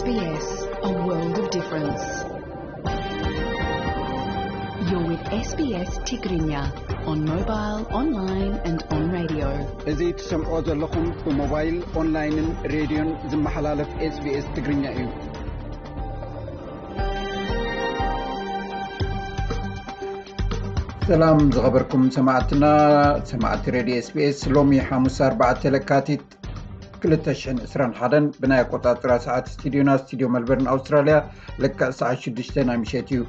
S B S, a world of difference. You're with S B S Tigrinya on mobile, online and on radio. እዚ ትሰምዖ ዘለኹም ብሞባይል፣ ኦንላይንን ሬድዮን ዝመሓላለፍ S B S ትግርኛ እዩ። ሰላም ዝኸበርኩም ሰማዕትና፣ ሰማዕቲ ሬድዮ S B S፣ ሎሚ ሓሙስ ኣርባዕተ ለካቲት ክልተ ሽሕን ዕስራን ሓደን ብናይ ኣቆጻጽራ ሰዓት ስቱዲዮና፣ ስቱዲዮ መልበርን ኣውስትራልያ፣ ልክዕ ሰዓት ሽዱሽተ ናይ ምሸት እዩ።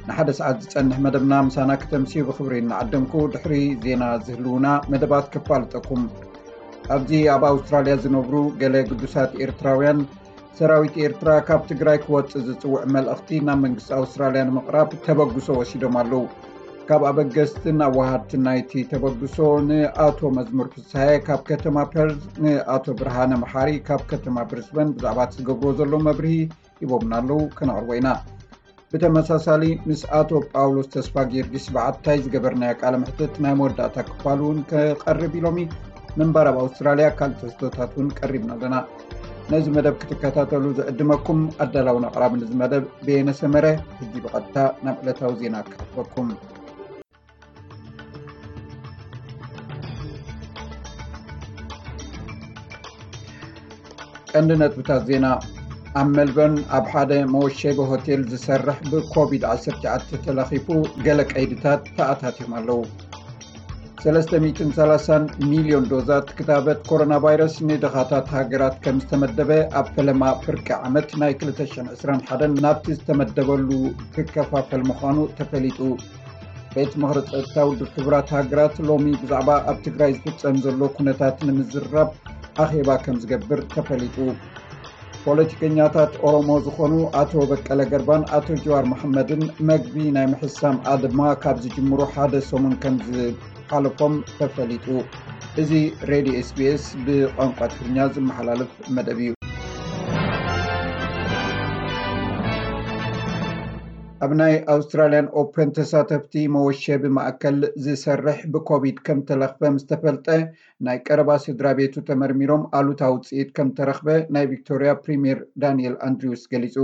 ንሓደ ሰዓት ዝጸንሕ መደብና ምሳና ክተምስዩ ብኽብሪ እናዓደምኩ፣ ድሕሪ ዜና ዝህልዉና መደባት ከፋልጠኩም። ኣብዚ ኣብ ኣውስትራልያ ዝነብሩ ገለ ግዱሳት ኤርትራውያን፣ ሰራዊት ኤርትራ ካብ ትግራይ ክወጽእ ዝጽውዕ መልእኽቲ ናብ መንግስቲ ኣውስትራልያ ንምቕራብ ተበግሶ ወሲዶም ኣለዉ። ካብ ኣበገስትን ኣዋሃድትን ናይቲ ተበግሶ ንኣቶ መዝሙር ፍስሃየ ካብ ከተማ ፐርዝ፣ ንኣቶ ብርሃነ መሓሪ ካብ ከተማ ብሪስበን ብዛዕባ እቲ ዝገብርዎ ዘለዉ መብርሂ ሂቦምና ኣለዉ፣ ከነቕርቦ ኢና። ብተመሳሳሊ ምስ ኣቶ ጳውሎስ ተስፋ ጊዮርጊስ በዓታይ ዝገበርናዮ ቃለ መሕትት ናይ መወዳእታ ክፋል እውን ክቐርብ ኢሎሚ። ምንባር ኣብ ኣውስትራልያ ካልእ ትሕዝቶታት እውን ቀሪብና ኣለና። ነዚ መደብ ክትከታተሉ ዝዕድመኩም ኣዳላውን ኣቕራብን እዚ መደብ በየነ ሰመረ። ሕጂ ብቐጥታ ናብ ዕለታዊ ዜና ክሕልፈኩም። ቀንዲ ነጥብታት ዜና። ኣብ ሜልበርን ኣብ ሓደ መወሸቢ ሆቴል ዝሰርሕ ብኮቪድ ዓሰርተ ትሽዓተ ተለኺፉ ገለ ቀይድታት ተኣታትዮም ኣለዉ። ሰለስተ ሚእትን ሰላሳን ሚልዮን ዶዛት ክታበት ኮሮና ቫይረስ ንድኻታት ሃገራት ከም ዝተመደበ ኣብ ፈለማ ፍርቂ ዓመት ናይ ክልተ ሽሕን ዕስራን ሓደን ናብቲ ዝተመደበሉ ክከፋፈል ምዃኑ ተፈሊጡ። ቤት ምኽሪ ጸጥታ ውድብ ሕቡራት ሃገራት ሎሚ ብዛዕባ ኣብ ትግራይ ዝፍጸም ዘሎ ኩነታት ንምዝራብ ኣኼባ ከም ዝገብር ተፈሊጡ። ፖለቲከኛታት ኦሮሞ ዝኾኑ ኣቶ በቀለ ገርባን ኣቶ ጀዋር መሐመድን መግቢ ናይ ምሕሳም ኣድማ ካብ ዝጅምሩ ሓደ ሰሙን ከም ዝሓለፎም ተፈሊጡ። እዚ ሬድዮ S B S ብቋንቋ ትግርኛ ዝመሓላለፍ መደብ እዩ። ኣብ ናይ ኣውስትራልያን ኦፐን ተሳተፍቲ መወሸቢ ማእከል ዝሰርሕ ብኮቪድ ከም ተለኽፈ ምስ ተፈልጠ፣ ናይ ቀረባ ስድራ ቤቱ ተመርሚሮም ኣሉታዊ ውጽኢት ከም ተረኽበ ናይ ቪክቶርያ ፕሪምየር ዳንኤል ኣንድሪውስ ገሊጹ።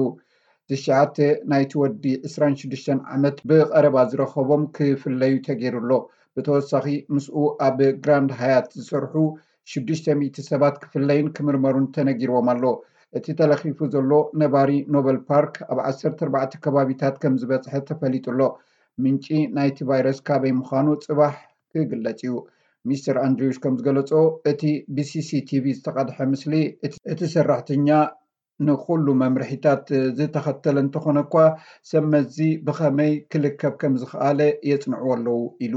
ትሽዓተ ናይቲ ወዲ ዕስራን ሽዱሽተን ዓመት ብቐረባ ዝረኸቦም ክፍለዩ ተገይሩ ኣሎ። ብተወሳኺ ምስኡ ኣብ ግራንድ ሃያት ዝሰርሑ ሽዱሽተ ሚእቲ ሰባት ክፍለዩን ክምርመሩን ተነጊርዎም ኣሎ። እቲ ተለኺፉ ዘሎ ነባሪ ኖበል ፓርክ ኣብ ዓሰርተ ኣርባዕተ ከባቢታት ከም ዝበጽሐ ተፈሊጡ ኣሎ። ምንጪ ናይቲ ቫይረስ ካበይ ምዃኑ ጽባሕ ክግለጽ እዩ። ሚስተር ኣንድሪውስ ከም ዝገለጾ፣ እቲ ብ C C T V ዝተቐድሐ ምስሊ እቲ፣ እቲ ሰራሕተኛ ንኹሉ መምርሒታት ዝተኸተለ እንተኾነ እኳ፣ ሰብ መዚ ብኸመይ ክልከፍ ከም ዝኸኣለ የጽንዕዎ ኣለዉ ኢሉ።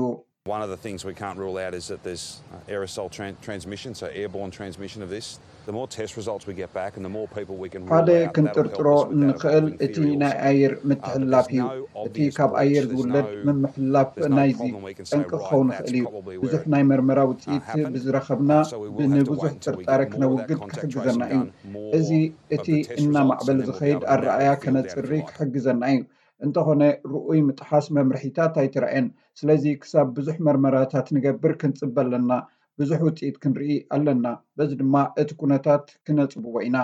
One of the things we can't rule out is that there's uh, aerosol tran- transmission, so airborne transmission of this. The more test results we get back and the more people we can rule ሓደ out, that'll help ክንጥርጥሮ us with that እንኽእል evolving እቲ theory ናይ also. ኣየር Uh, but ምትሕልላፍ there's እዩ። No እቲ obvious ካብ ኣየር bridge, there's ዝውለድ no, ምምሕልላፍ there's no ናይዚ problem we can say, ጠንቂ right, ክኸውን that's ይኽእል እዩ። Probably where ብዙሕ it ናይ መርመራ uh, ውፅኢት happened. ብዝረኸብና Uh, so we will have to ብንብዙሕ wait until we ጥርጣረ get more of that ክነውግድ contact tracing ክሕግዘና እዩ። Done, more እዚ of እቲ the test እናማዕበለ results, and we'll be ዝኸይድ able to narrow ኣረኣያ the field down, if you ከነፅሪ like. ክሕግዘና እዩ። እንተኾነ ርኡይ ምጥሓስ መምርሒታት ኣይተራእየን። ስለዚ ክሳብ ብዙሕ መርመራታት ንገብር ክንፅበ ኣለና። ብዙሕ ውፅኢት ክንርኢ ኣለና። በዚ ድማ እቲ ኩነታት ክነፅብቦ ኢና።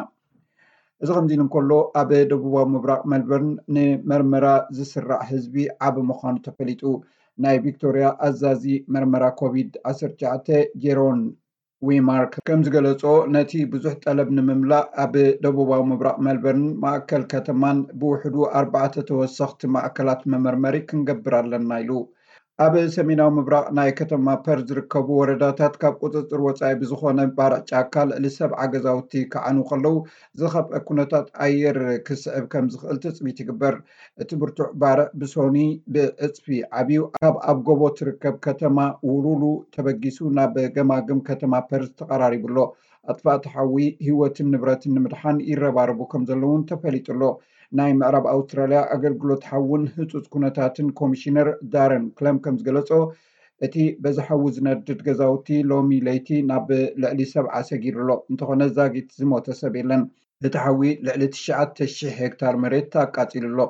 እዚ ከምዚ ኢሉ እንከሎ፣ ኣብ ደቡባዊ ምብራቕ ሜልበርን ንመርመራ ዝስራዕ ህዝቢ ዓቢ ምዃኑ ተፈሊጡ። ናይ ቪክቶርያ ኣዛዚ መርመራ ኮቪድ ዓሰርተ ትሽዓተ ጄሮን ዊማርክ ከም ዝገለጾ፣ ነቲ ብዙሕ ጠለብ ንምምላእ ኣብ ደቡባዊ ምብራቕ ሜልበርን ማእከል ከተማን ብውሕዱ ኣርባዕተ ተወሰኽቲ ማእከላት መመርመሪ ክንገብር ኣለና ኢሉ። ኣብ ሰሜናዊ ምብራቕ ናይ ከተማ ፐርዝ ዝርከቡ ወረዳታት ካብ ቁጽጽር ወጻኢ ብዝኾነ ባርዕ ጫካ ልዕሊ ሰብዓ ገዛውቲ ክዓኑ ከለዉ ዝኸፍአ ኩነታት ኣየር ክስዕብ ከም ዝኽእል ትጽቢት ይግበር። እቲ ብርቱዕ ባርዕ ብሶኒ ብዕጽፊ ዓብዩ ካብ ኣብ ጎቦ ትርከብ ከተማ ውሉሉ ተበጊሱ ናብ ገማግም ከተማ ፐርዝ ተቐራሪቡ ኣሎ። ኣጥፋእቲ ሓዊ ህይወትን ንብረትን ንምድሓን ይረባረቡ ከም ዘለዉ እውን ተፈሊጡ ኣሎ። ናይ ምዕራብ ኣውስትራልያ ኣገልግሎት ሓውን ህጹጽ ኩነታትን ኮሚሽነር ዳረን ክለም ከም ዝገለጾ፣ እቲ በዚ ሓዊ ዝነድድ ገዛውቲ ሎሚ ለይቲ ናብ ልዕሊ ሰብዓ ሰጊሩ ኣሎ። እንተኾነ ዛጊት ዝሞተ ሰብ የለን። እቲ ሓዊ ልዕሊ ትሽዓተ ሽሕ ሄክታር መሬት ኣቃጺሉ ኣሎ።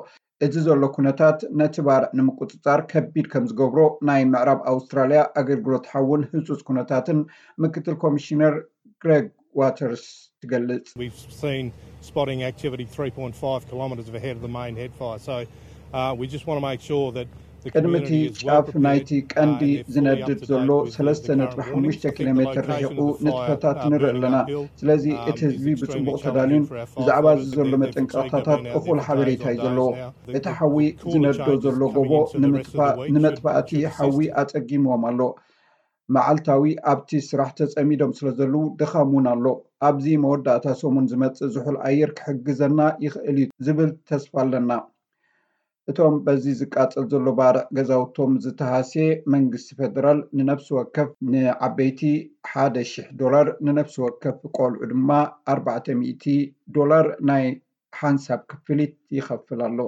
እዚ ዘሎ ኩነታት ነቲ ባርዕ ንምቁጽጻር ከቢድ ከም ዝገብሮ ናይ ምዕራብ ኣውስትራልያ ኣገልግሎት ሓውን ህጹጽ ኩነታትን ምክትል ኮሚሽነር ግሬግ ዋተርስ ትገልጽ። We've seen spotting activity three point five kilometres ahead of the main head fire. So uh, we just want to make sure that ቅድሚ እቲ ጫፍ ናይቲ ቀንዲ ዝነድድ ዘሎ ሰለስተ ነጥቢ ሓሙሽተ ኪሎ ሜትር ርሒቑ ንጥፈታት ንርኢ ኣለና። ስለዚ እቲ ህዝቢ ብጽቡቕ ተዳልዩን ብዛዕባ እዚ ዘሎ መጠንቀቕታታት እኹል ሓበሬታ እዩ ዘለዎ። እቲ ሓዊ ዝነዶ ዘሎ ጎቦ ንምጥፋእ ንመጥፋእቲ ሓዊ ኣጸጊምዎም ኣሎ። መዓልታዊ ኣብቲ ስራሕ ተጸሚዶም ስለ ዘለዉ ድኻም እውን ኣሎ። ኣብዚ መወዳእታ ሰሙን ዝመጽእ ዝሑል ኣየር ክሕግዘና ይኽእል እዩ ዝብል ተስፋ ኣለና። እቶም በዚ ዝቃጸል ዘሎ ባርዕ ገዛውቶም ዝተሃስየ መንግስቲ ፌደራል ንነፍሲ ወከፍ ንዓበይቲ ሓደ ሺሕ ዶላር ንነፍሲ ወከፍ ቆልዑ ድማ ኣርባዕተ ሚእቲ ዶላር ናይ ሓንሳብ ክፍሊት ይኸፍል ኣሎ።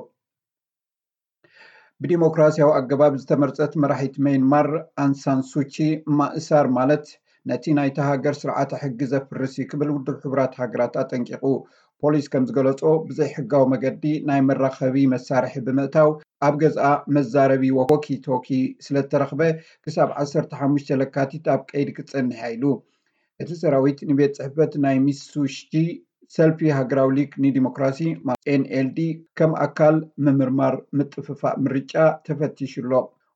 ብዲሞክራሲያዊ ኣገባብ ዝተመርጸት መራሒት መይንማር ኣንሳን ሱቺ ማእሳር ማለት ነቲ ናይታ ሃገር ስርዓተ ሕጊ ዘፍርስ እዩ ክብል ውድብ ሕቡራት ሃገራት ኣጠንቂቑ። ፖሊስ ከም ዝገለጾ ብዘይሕጋዊ መገዲ ናይ መራኸቢ መሳርሒ ብምእታው ኣብ ገዝኣ መዛረቢ ወኪቶኪ ስለተረኽበ ክሳብ ዓሰርተ ሓሙሽተ ለካቲት ኣብ ቀይዲ ክትጸንሕ ኢሉ። እቲ ሰራዊት ንቤት ጽሕፈት ናይ ሚሱሺ ሰልፊ ሃገራዊ ሊግ ንዲሞክራሲ ኤንኤልዲ ከም ኣካል ምምርማር ምጥፍፋእ ምርጫ ተፈቲሹ ኣሎ።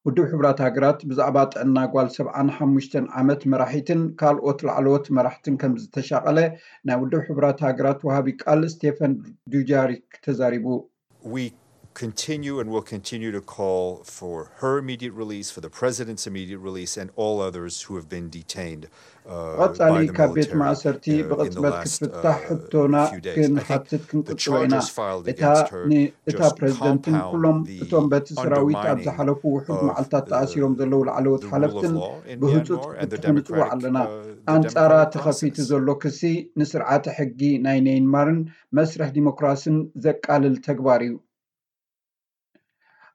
ውድብ ሕቡራት ሃገራት ብዛዕባ ጥዕና ጓል ሰብዓን ሓሙሽተን ዓመት መራሒትን ካልኦት ላዕለዎት መራሕትን ከም ዝተሻቐለ ናይ ውድብ ሕቡራት ሃገራት ወሃቢ ቃል ስቴፈን ዱጃሪክ ተዛሪቡ። We continue and will continue to call for her immediate release, for the president's immediate release, and all others who have been detained. ብቐጻሊ ካብ ቤት ማእሰርቲ ብቕጽበት ክትፍታሕ ሕቶና ክንሓትት ክንቅጽሎ ኢና። እታ ንእታ ፕሬዚደንትን ኩሎም እቶም በቲ ሰራዊት ኣብ ዝሓለፉ ውሑድ መዓልታት ተኣሲሮም ዘለዉ ላዕለዎት ሓለፍትን ብህፁፅ ክትፍትሑ ንፅዋዕ ኣለና። ኣንፃራ ተኸፊቱ ዘሎ ክሲ ንስርዓተ ሕጊ ናይ ሜይንማርን መስርሕ ዲሞክራስን ዘቃልል ተግባር እዩ።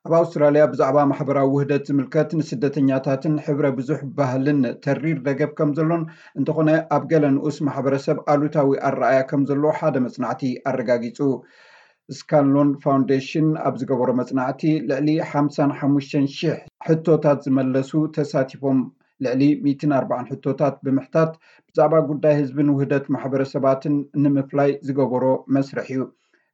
ኣብ ኣውስትራልያ ብዛዕባ ማሕበራዊ ውህደት ዝምልከት ንስደተኛታትን ሕብረ ብዙሕ ባህልን ተሪር ደገፍ ከም ዘሎን እንተኾነ ኣብ ገለ ንኡስ ማሕበረሰብ ኣሉታዊ ኣረኣያ ከም ዘሎ ሓደ መጽናዕቲ ኣረጋጊጹ። ስካንሎን ፋውንዴሽን ኣብ ዝገበሮ መጽናዕቲ ልዕሊ ሓምሳን ሓሙሽተን ሽሕ ሕቶታት ዝመለሱ ተሳቲፎም። ልዕሊ ሚእትን ኣርባዓን ሕቶታት ብምሕታት ብዛዕባ ጉዳይ ህዝብን ውህደት ማሕበረሰባትን ንምፍላይ ዝገበሮ መስርሕ እዩ።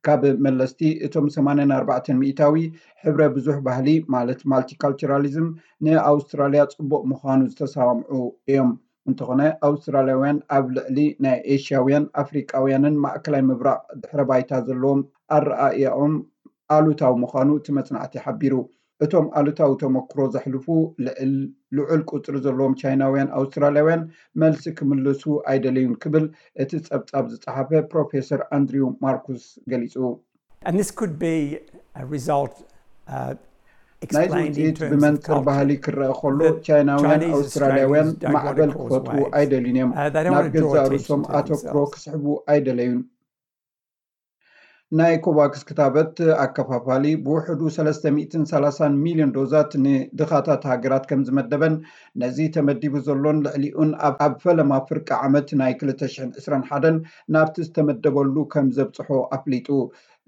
ካብ መለስቲ እቶም ሰማንያን ኣርባዕተን ሚእታዊ ሕብረ ብዙሕ ባህሊ ማለት ማልቲካልቸራሊዝም ንኣውስትራልያ ጽቡቕ ምዃኑ ዝተሰማምዑ እዮም። እንተኾነ ኣውስትራልያውያን ኣብ ልዕሊ ናይ ኤሽያውያን ኣፍሪቃውያንን ማእከላይ ምብራቕ ድሕረ ባይታ ዘለዎም ኣረኣእያኦም ኣሉታዊ ምዃኑ እቲ መጽናዕቲ ሓቢሩ። እቶም ኣሉታዊ ተመክሮ ዘሕልፉ ልዑል ቁጽሪ ዘለዎም ቻይናውያን ኣውስትራልያውያን መልሲ ክምልሱ ኣይደለዩን ክብል እቲ ጸብጻብ ዝጸሓፈ ፕሮፌሰር ኣንድሪው ማርኩስ ገሊጹ። And this could be a result uh, ናይዚ ውፅኢት ብመንፅር ባህሊ ክረአ ከሎ ቻይናውያን ኣውስትራልያውያን ማዕበል ክፈጥሩ ኣይደልዩን እዮም። ናብ ገዛእ ርእሶም ኣተኩሮ ክስሕቡ ኣይደለዩን። ናይ ኮቫክስ ክታበት ኣከፋፋሊ ብውሕዱ ሰለስተ ሚእትን ሰላሳን ሚልዮን ዶዛት ንድኻታት ሃገራት ከም ዝመደበን ነዚ ተመዲቡ ዘሎን ልዕሊኡን ኣብ ፈለማ ፍርቂ ዓመት ናይ ክልተ ሽሕን ዕስራን ሓደን ናብቲ ዝተመደበሉ ከም ዘብጽሖ ኣፍሊጡ።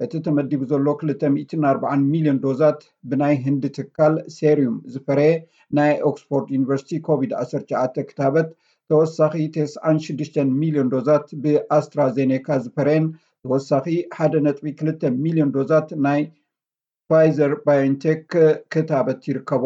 እቲ ተመዲቡ ዘሎ ክልተ ሚእትን ኣርባዓን ሚልዮን ዶዛት ብናይ ህንዲ ትካል ሴሪዩም ዝፈረየ ናይ ኦክስፎርድ ዩኒቨርሲቲ ኮቪድ ዓሰርተ ትሽዓተ ክታበት ተወሳኺ ተስዓን ሽዱሽተን ሚልዮን ዶዛት ብኣስትራዜኔካ ዝፈረየን ተወሳኺ ሓደ ነጥቢ ክልተ ሚልዮን ዶዛት ናይ ፋይዘር ባዮንቴክ ክታበት ይርከቦ።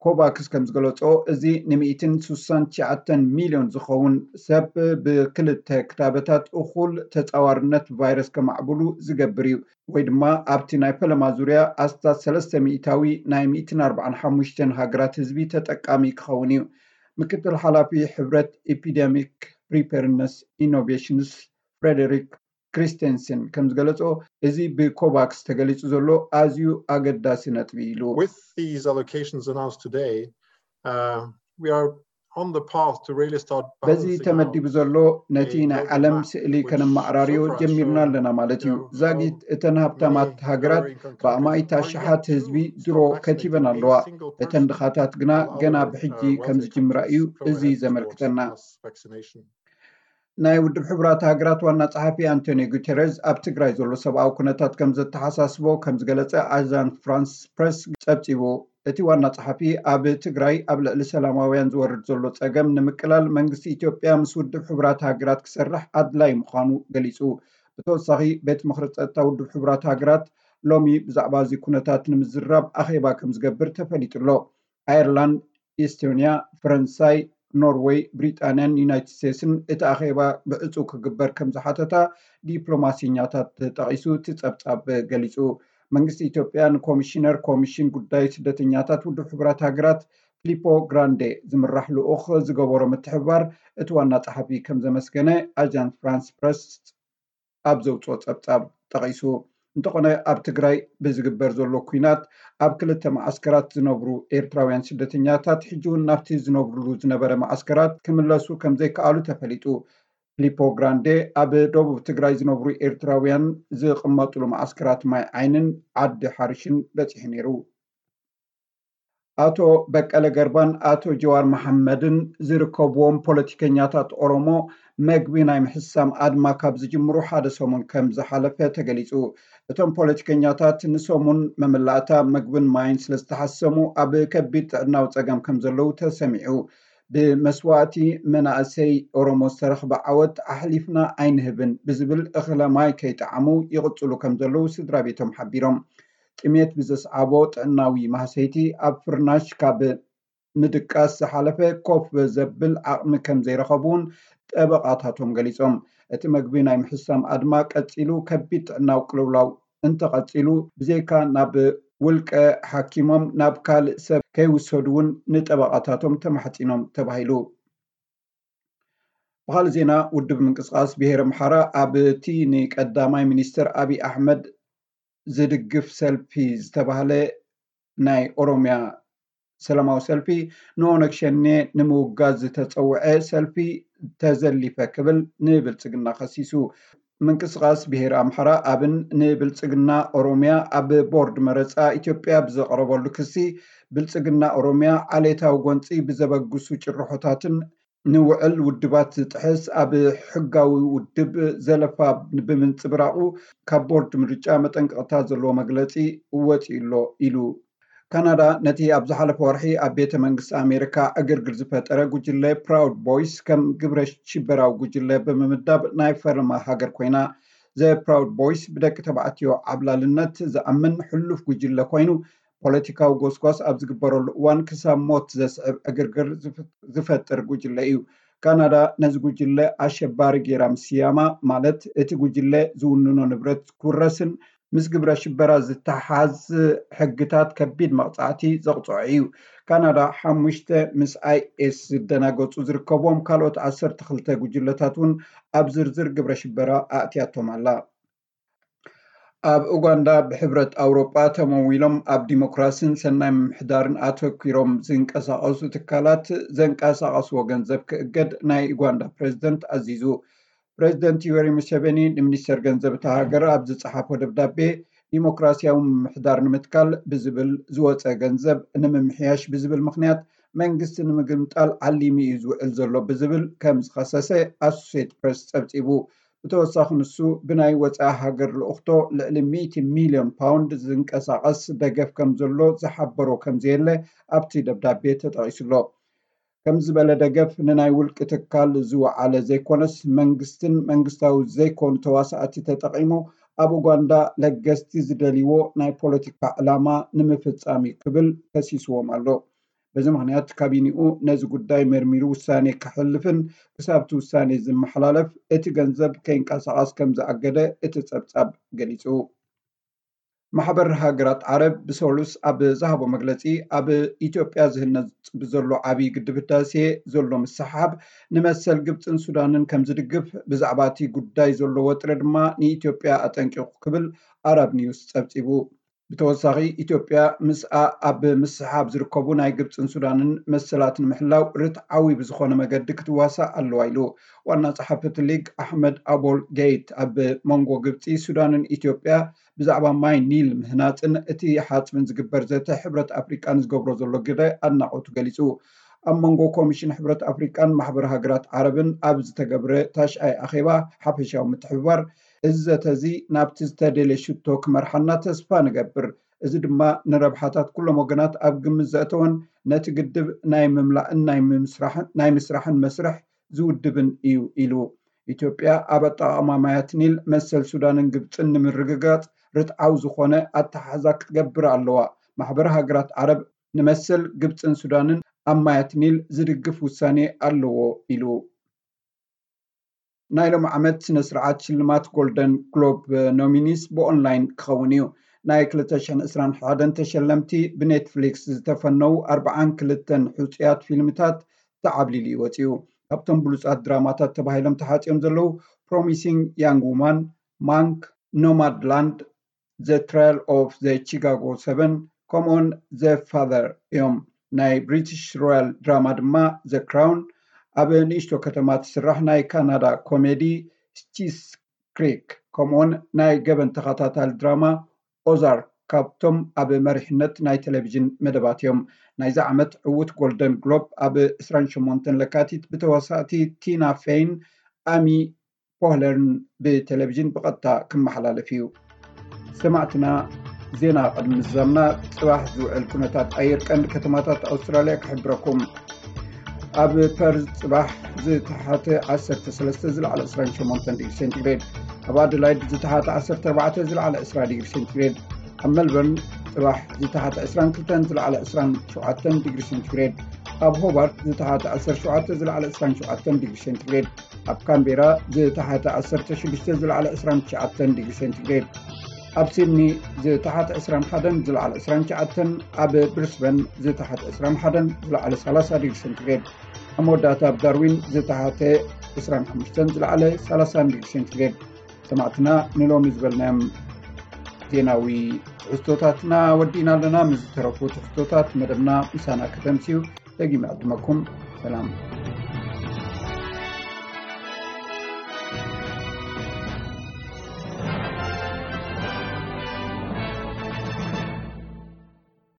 ኮቫክስ ከም ዝገለጾ እዚ ንሚእትን ስሳን ትሽዓተን ሚልዮን ዝኸውን ሰብ ብክልተ ክታበታት እኹል ተጻዋርነት ቫይረስ ከማዕብሉ ዝገብር እዩ። ወይ ድማ ኣብቲ ናይ ፈለማ ዙርያ ኣስታት ሰለስተ ሚእታዊ ናይ ሚእትን ኣርባዓን ሓሙሽተን ሃገራት ህዝቢ ተጠቃሚ ክኸውን እዩ። ምክትል ሓላፊ ሕብረት ኤፒደሚክ ፕሪፐርነስ ኢኖቬሽንስ ፍሬደሪክ ክሪስቴንስን ከም ዝገለጾ እዚ ብኮቫክስ ተገሊጹ ዘሎ ኣዝዩ ኣገዳሲ ነጥቢ ኢሉ። With these allocations announced today, uh, we are on the path to really start በዚ balancing ተመዲቡ out ዘሎ ነቲ ናይ ዓለም ስእሊ ከነመዓራርዮ ጀሚርና ኣለና ማለት እዩ። ዛጊት እተን ሃብታማት ሃገራት ብኣማኢት ኣሽሓት ህዝቢ ድሮ ከቲበን ኣለዋ። እተን ድኻታት ግና ገና ብሕጂ ከም ዝጅምራ እዩ እዚ ዘመልክተና። ናይ ውድብ ሕቡራት ሃገራት ዋና ጸሓፊ ኣንቶኒዮ ጉተረዝ ኣብ ትግራይ ዘሎ ሰብኣዊ ኩነታት ከም ዘተሓሳስቦ ከም ዝገለጸ ኣጃንስ ፍራንስ ፕረስ ጸብጺቡ። እቲ ዋና ጸሓፊ ኣብ ትግራይ ኣብ ልዕሊ ሰላማውያን ዝወርድ ዘሎ ጸገም ንምቅላል መንግስቲ ኢትዮጵያ ምስ ውድብ ሕቡራት ሃገራት ክሰርሕ ኣድላይ ምዃኑ ገሊጹ። ብተወሳኺ ቤት ምኽሪ ጸጥታ ውድብ ሕቡራት ሃገራት ሎሚ ብዛዕባ እዚ ኩነታት ንምዝራብ ኣኼባ ከም ዝገብር ተፈሊጡ ኣሎ። ኣየርላንድ፣ ኢስቶንያ፣ ፈረንሳይ፣ ኖርወይ፣ ብሪጣንያን ዩናይትድ ስቴትስን እቲ ኣኼባ ብዕጹ ክግበር ከም ዝሓተታ ዲፕሎማሲኛታት ተጠቒሱ እቲ ጸብጻብ ገሊጹ። መንግስቲ ኢትዮጵያ ንኮሚሽነር ኮሚሽን ጉዳይ ስደተኛታት ውድብ ሕቡራት ሃገራት ፊሊፖ ግራንዴ ዝምራሕ ልኡኽ ዝገበሮ ምትሕብባር እቲ ዋና ጸሓፊ ከም ዘመስገነ ኣጃንስ ፍራንስ ፕረስ ኣብ ዘውፅኦ ጸብጻብ ጠቒሱ። እንተኾነ ኣብ ትግራይ ብዝግበር ዘሎ ኲናት ኣብ ክልተ መዓስከራት ዝነብሩ ኤርትራውያን ስደተኛታት ሕጂ እውን ናብቲ ዝነብሩሉ ዝነበረ መዓስከራት ክምለሱ ከም ዘይከኣሉ ተፈሊጡ። ፊሊፖ ግራንዴ ኣብ ደቡብ ትግራይ ዝነብሩ ኤርትራውያን ዝቕመጡሉ መዓስከራት ማይ ዓይንን ዓዲ ሓርሽን በጺሑ ነይሩ። ኣቶ በቀለ ገርባን ኣቶ ጀዋር መሓመድን ዝርከብዎም ፖለቲከኛታት ኦሮሞ መግቢ ናይ ምሕሳም ኣድማ ካብ ዝጅምሩ ሓደ ሰሙን ከም ዝሓለፈ ተገሊጹ። እቶም ፖለቲከኛታት ንሰሙን መመላእታ መግብን ማይን ስለ ዝተሓሰሙ ኣብ ከቢድ ጥዕናዊ ጸገም ከም ዘለዉ ተሰሚዑ። ብመስዋእቲ መናእሰይ ኦሮሞ ዝተረኽበ ዓወት ኣሕሊፍና ኣይንህብን ብዝብል እኽለ ማይ ከይጠዓሙ ይቕጽሉ ከም ዘለዉ ስድራ ቤቶም ሓቢሮም። ጥሜት ብዘስዓቦ ጥዕናዊ ማህሰይቲ ኣብ ፍርናሽ ካብ ምድቃስ ዝሓለፈ ኮፍ ዘብል ዓቕሚ ከም ዘይረኸቡ እውን ጠበቓታቶም ገሊጾም። እቲ መግቢ ናይ ምሕሳም ኣድማ ቀጺሉ ከቢድ ጥዕናዊ ቅልውላው እንተቐጺሉ ብዘይካ ናብ ውልቀ ሓኪሞም ናብ ካልእ ሰብ ከይውሰዱ እውን ንጠበቓታቶም ተማሕጺኖም ተባሂሉ። ብኻልእ ዜና ውድብ ምንቅስቃስ ብሄር ኣምሓራ ኣብቲ ንቀዳማይ ሚኒስትር ኣብይ ኣሕመድ ዝድግፍ ሰልፊ ዝተባህለ ናይ ኦሮሚያ ሰላማዊ ሰልፊ ንኦነግ ሸኔ ንምውጋዝ ዝተጸውዐ ሰልፊ ተዘሊፈ ክብል ንብልጽግና ከሲሱ። ምንቅስቃስ ብሄር ኣምሓራ ኣብን ንብልጽግና ኦሮሚያ ኣብ ቦርድ መረጻ ኢትዮጵያ ብዘቕረበሉ ክሲ ብልጽግና ኦሮሚያ ዓሌታዊ ጎንጺ ብዘበግሱ ጭርሖታትን ንውዕል ውድባት ዝጥሕስ ኣብ ሕጋዊ ውድብ ዘለፋ ብምንጽብራቑ ካብ ቦርድ ምርጫ መጠንቀቕታ ዘለዎ መግለጺ ወጺኡ ኣሎ ኢሉ። ካናዳ ነቲ ኣብ ዝሓለፈ ወርሒ ኣብ ቤተ መንግስቲ ኣሜሪካ ዕግርግር ዝፈጠረ ጉጅለ ፕራውድ ቦይስ ከም ግብረ ሽበራዊ ጉጅለ ብምምዳብ ናይ ፈረማ ሃገር ኮይና። ዘ ፕራውድ ቦይስ ብደቂ ተባዕትዮ ዓብላልነት ዝኣምን ሕሉፍ ጉጅለ ኮይኑ ፖለቲካዊ ጎስጓስ ኣብ ዝግበረሉ እዋን ክሳብ ሞት ዘስዕብ ዕግርግር ዝፈጥር ጉጅለ እዩ። ካናዳ ነዚ ጉጅለ ኣሸባሪ ጌራ ምስያማ ማለት እቲ ጉጅለ ዝውንኖ ንብረት ክውረስን ምስ ግብረ ሽበራ ዝተሓዝ ሕግታት ከቢድ መቕጻዕቲ ዘቕጽዖ እዩ። ካናዳ ሓሙሽተ ምስ ኣይኤስ ዝደናገጹ ዝርከብዎም ካልኦት ዓሰርተ ክልተ ጉጅለታት እውን ኣብ ዝርዝር ግብረ ሽበራ ኣእትያቶም ኣላ። ኣብ ኡጋንዳ ብሕብረት ኣውሮጳ ተመዊሎም ኣብ ዲሞክራሲን ሰናይ ምምሕዳርን ኣተኲሮም ዝንቀሳቐሱ ትካላት ዘንቀሳቐስዎ ገንዘብ ክእገድ ናይ ኡጋንዳ ፕሬዝደንት ኣዚዙ። ፕሬዝደንት ዩወሪ ሙሴቬኒ ንሚኒስተር ገንዘብ እታ ሃገር ኣብ ዝጸሓፎ ደብዳቤ ዲሞክራሲያዊ ምምሕዳር ንምትካል ብዝብል ዝወጸ ገንዘብ ንምምሕያሽ ብዝብል ምኽንያት መንግስቲ ንምግምጣል ዓሊሙ እዩ ዝውዕል ዘሎ ብዝብል ከም ዝኸሰሰ ኣሶሴት ፕሬስ ጸብጺቡ። ብተወሳኺ ንሱ ብናይ ወፃኢ ሃገር ልእኽቶ ልዕሊ ሚእቲ ሚልዮን ፓውንድ ዝንቀሳቐስ ደገፍ ከም ዘሎ ዝሓበሮ ከም ዘየለ ኣብቲ ደብዳቤ ተጠቒሱ ኣሎ። ከም ዝበለ ደገፍ ንናይ ውልቂ ትካል ዝወዓለ ዘይኮነስ መንግስትን መንግስታዊ ዘይኮኑ ተዋሳእቲ ተጠቒሙ ኣብ ኡጋንዳ ለገስቲ ዝደልይዎ ናይ ፖለቲካ ዕላማ ንምፍፃም እዩ ክብል ከሲስዎም ኣሎ። በዚ ምኽንያት ካቢኒኡ ነዚ ጉዳይ መርሚሩ ውሳኔ ከሕልፍን ክሳብቲ ውሳኔ ዝመሓላለፍ እቲ ገንዘብ ከይንቀሳቐስ ከም ዝኣገደ እቲ ጸብጻብ ገሊጹ። ማሕበር ሃገራት ዓረብ ብሰሉስ ኣብ ዝሃቦ መግለጺ ኣብ ኢትዮጵያ ዝህነጽ ብዘሎ ዓብዪ ግድብ ህዳሴ ዘሎ ምስሕሓብ ንመሰል ግብጽን ሱዳንን ከም ዝድግፍ ብዛዕባ እቲ ጉዳይ ዘሎ ወጥሪ ድማ ንኢትዮጵያ ኣጠንቂቑ ክብል ኣረብ ኒውስ ጸብጺቡ። ብተወሳኺ ኢትዮጵያ ምስኣ ኣብ ምስሓብ ዝርከቡ ናይ ግብፅን ሱዳንን መሰላት ንምሕላው ርትዓዊ ብዝኾነ መገዲ ክትዋሳእ ኣለዋ ኢሉ። ዋና ጸሓፊ እቲ ሊግ ኣሕመድ ኣቦል ገይት ኣብ መንጎ ግብፂ፣ ሱዳንን ኢትዮጵያ ብዛዕባ ማይ ኒል ምህናፅን እቲ ሓፅብን ዝግበር ዘተ ሕብረት ኣፍሪቃ ንዝገብሮ ዘሎ ግደ ኣድናቖቱ ገሊፁ። ኣብ መንጎ ኮሚሽን ሕብረት ኣፍሪቃን ማሕበር ሃገራት ዓረብን ኣብ ዝተገብረ ታሽኣይ ኣኼባ ሓፈሻዊ ምትሕብባር እዚ ዘተ እዚ ናብቲ ዝተደልየ ሽቶ ክመርሓና ተስፋ ንገብር። እዚ ድማ ንረብሓታት ኩሎም ወገናት ኣብ ግምት ዘእተወን ነቲ ግድብ ናይ ምምላእን ናይ ምስራሕን መስርሕ ዝውድብን እዩ ኢሉ። ኢትዮጵያ ኣብ ኣጠቓቕማ ማያት ኒል መሰል ሱዳንን ግብፅን ንምርግጋፅ ርትዓዊ ዝኾነ ኣተሓሕዛ ክትገብር ኣለዋ። ማሕበር ሃገራት ዓረብ ንመሰል ግብፅን ሱዳንን ኣብ ማያት ኒል ዝድግፍ ውሳኔ ኣለዎ ኢሉ። ናይ ሎም ዓመት ስነ ስርዓት ሽልማት ጎልደን ግሎብ ኖሚኒስ ብኦንላይን ክኸውን እዩ። ናይ ክልተ ሽሕን ዕስራን ሓደን ተሸለምቲ ብኔትፍሊክስ ዝተፈነዉ ኣርብዓን ክልተን ሕፁያት ፊልምታት ተዓብሊሉ እዩ ወፂኡ። ካብቶም ብሉፃት ድራማታት ተባሂሎም ተሓፂኦም ዘለዉ ፕሮሚሲንግ ያንግ ውማን፣ ማንክ፣ ኖማድ ላንድ፣ ዘ ትራያል ኦፍ ዘ ቺካጎ ሰቨን ከምኡውን ዘ ፋዘር እዮም። ናይ ብሪቲሽ ሮያል ድራማ ድማ ዘ ክራውን፣ ኣብ ንእሽቶ ከተማ ትስራሕ ናይ ካናዳ ኮሜዲ ስቺስ ክሪክ ከምኡውን ናይ ገበን ተኸታታሊ ድራማ ኦዛርክ ካብቶም ኣብ መሪሕነት ናይ ቴሌቪዥን መደባት እዮም። ናይዚ ዓመት ዕውት ጎልደን ግሎብ ኣብ ዕስራን ሸሞንተን ለካቲት ብተዋሳእቲ ቲና ፌይን፣ ኣሚ ፖህለርን ብቴሌቪዥን ብቐጥታ ክመሓላለፍ እዩ። ሰማዕትና፣ ዜና ቅድሚ ምዝዛምና ጽባሕ ዝውዕል ኩነታት ኣየር ቀንዲ ከተማታት ኣውስትራልያ ክሕብረኩም። ኣብ ፐርዝ ጽባሕ ዝተሓተ ዓሰርተ ሰለስተ ዝለዓለ ዕስራን ሸሞንተን ዲግሪ ሴንቲግሬድ፣ ኣብ ኣደላይድ ዝተሓተ ዓሰርተ ኣርባዕተ ዝለዓለ ዕስራ ዲግሪ ሴንቲግሬድ፣ ኣብ መልበርን ጽባሕ ዝተሓተ ዕስራን ክልተን ዝለዓለ ዕስራን ሸውዓተን ዲግሪ ሴንቲግሬድ፣ ኣብ ሆባርት ዝተሓተ ዓሰርተ ሸውዓተ ዝለዓለ ዕስራን ሸውዓተን ዲግሪ ሴንቲግሬድ፣ ኣብ ካምቤራ ዝተሓተ ዓሰርተ ሽዱሽተ ዝለዓለ ዕስራን ትሽዓተን ዲግሪ ሴንቲግሬድ፣ ኣብ ሲድኒ ዝተሓተ ዕስራን ሓደን ዝለዓለ ዕስራን ትሽዓተን፣ ኣብ ብሪስበን ዝተሓተ ዕስራን ሓደን ዝለዓለ ሰላሳ ዲግሪ ሴንቲግሬድ፣ ኣብ መወዳእታ ኣብ ዳርዊን ዝተሓተ ዕስራን ሓሙሽተን ዝለዓለ ሰላሳን ዲግሪ ሴንቲግሬድ። ሰማዕትና፣ ንሎሚ ዝበልናዮም ዜናዊ ትሕዝቶታትና ወዲእና ኣለና። ምስ ዝተረፉ ትሕዝቶታት መደብና ምሳና ከተምስዩ ደጊመ ዕድመኩም። ሰላም።